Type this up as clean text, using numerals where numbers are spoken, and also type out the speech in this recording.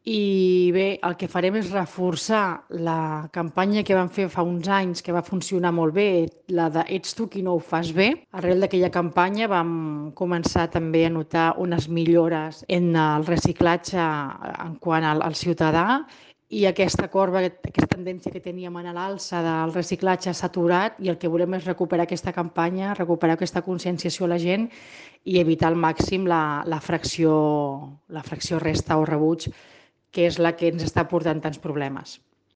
I bé, el que farem és reforçar la campanya que vam fer fa uns anys, que va funcionar molt bé, la de Ets tu qui no ho fas bé. Arrel d'aquella campanya vam començar també a notar unes millores en el reciclatge en quant al ciutadà, i aquesta corba, aquesta tendència que teníem a l'alça del reciclatge s'ha aturat, i el que volem és recuperar aquesta campanya, recuperar aquesta conscienciació a la gent i evitar al màxim la fracció resta o rebuig, que és la que ens està portant tants problemes.